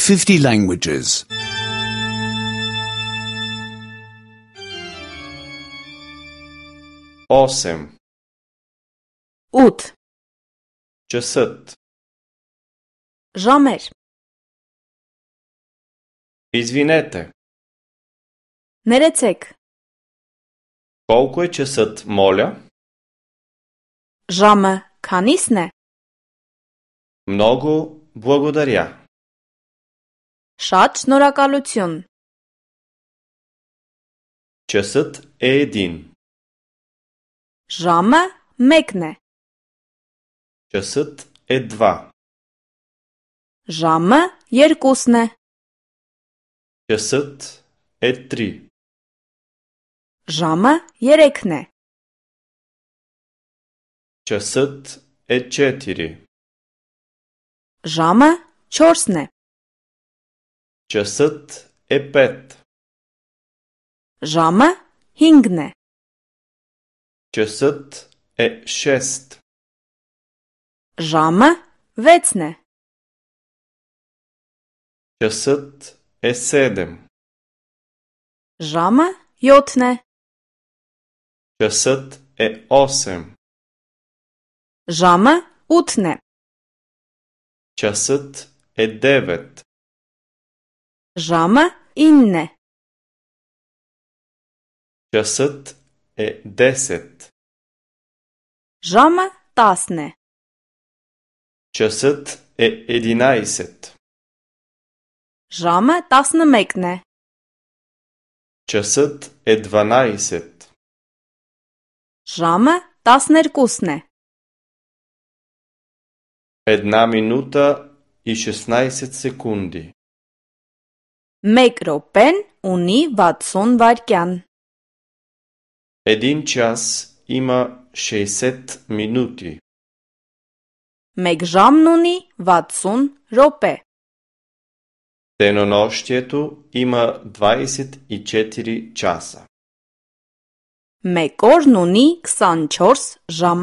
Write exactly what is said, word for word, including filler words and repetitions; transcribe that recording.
fifty languages. осем. ութ. Часът. Ժամեր. Извинете. Ներեցեք. Колко е часът, моля? Ժամը քանիսն է? Много благодаря. Շատ շնորհակալություն. Часът е един. Ժամը մեկն է. Часът е два. Ժամը երկուսն է. Часът е три. Ժամը երեքն է. Часът е четири. Ժամը չորսն է. Часът е пет. Ժամը հինգն է. Часът е шест. Ժամը վեցն է. Часът е седем. Ժամը յոթն է. Часът е осем. Ժամը ութն է. Часът е девет. Ժամը ինն է. Часът е десет. Ժամը տասն է. Часът е единайсет. Ժամը տասնմեկն է. Часът е дванайсет. Ժամը տասներկուսն է. Една минута и шестнайсет секунди. Մեկ րոպեն ունի վաթսուն վայրկյան. Един час има шейсет минути. Մեկ ժամն ունի վաթսուն րոպե. Денонощието има двайсет и четири часа. Մեկ օրն ունի քսանչորս ժամ.